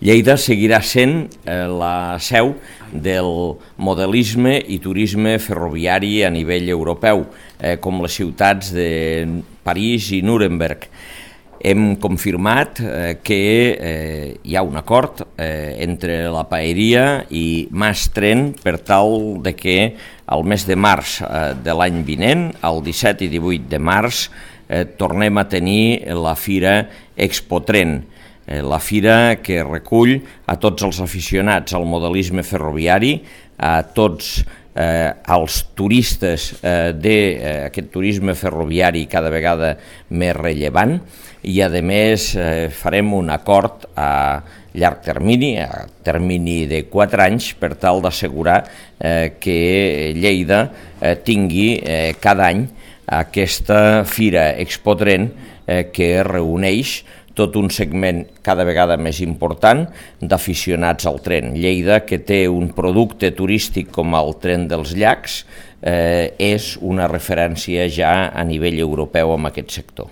Lleida seguirà sent la seu del modelisme i turisme ferroviari a nivell europeu, com les ciutats de París i Nuremberg. Hem confirmat que hi ha un acord entre la Paeria i Mas-Tren per tal de que al mes de març de l'any vinent, el 17 i 18 de març, tornem a tenir la Fira Expotren, la fira que recull a tots els aficionats al modelisme ferroviari, a tots els turistes d'aquest turisme ferroviari cada vegada més rellevant, i a més farem un acord a llarg termini, a termini de 4 anys, per tal d'assegurar que Lleida tingui cada any aquesta Fira Expotren que reuneix tot un segment cada vegada més important d'aficionats al tren. Lleida, que té un producte turístic com el Tren dels Llacs, és una referència ja a nivell europeu en aquest sector.